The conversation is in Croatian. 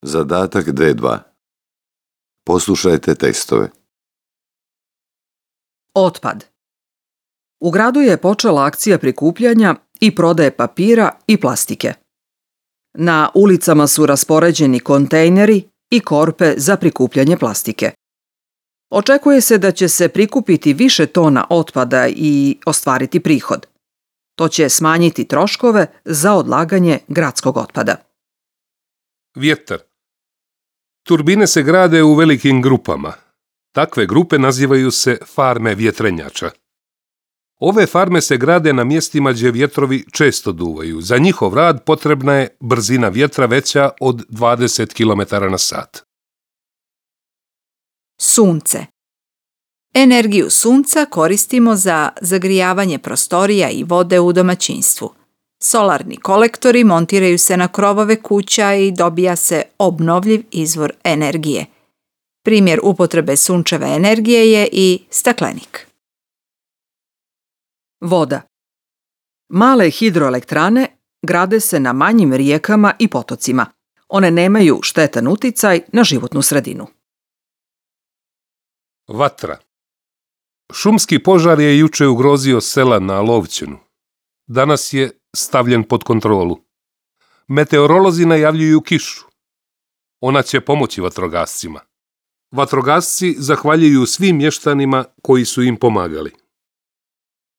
Zadatak D2. Poslušajte tekstove. Otpad. U gradu je počela akcija prikupljanja i prodaje papira i plastike. Na ulicama su raspoređeni kontejneri i korpe za prikupljanje plastike. Očekuje se da će se prikupiti više tona otpada i ostvariti prihod. To će smanjiti troškove za odlaganje gradskog otpada. Vjetar. Turbine se grade u velikim grupama. Takve grupe nazivaju se farme vjetrenjača. Ove farme se grade na mjestima gdje vjetrovi često duvaju. Za njihov rad potrebna je brzina vjetra veća od 20 km/h. Sunce. Energiju sunca koristimo za zagrijavanje prostorija i vode u domaćinstvu. Solarni kolektori montiraju se na krovove kuća i dobija se obnovljiv izvor energije. Primjer upotrebe sunčeve energije je i staklenik. Voda. Male hidroelektrane grade se na manjim rijekama i potocima. One nemaju štetan uticaj na životnu sredinu. Vatra. Šumski požar je juče ugrozio sela na Lovćenu. Danas je stavljen pod kontrolu. Meteorolozi najavljuju kišu. Ona će pomoći vatrogascima. Vatrogasci zahvaljuju svim mještanima koji su im pomagali.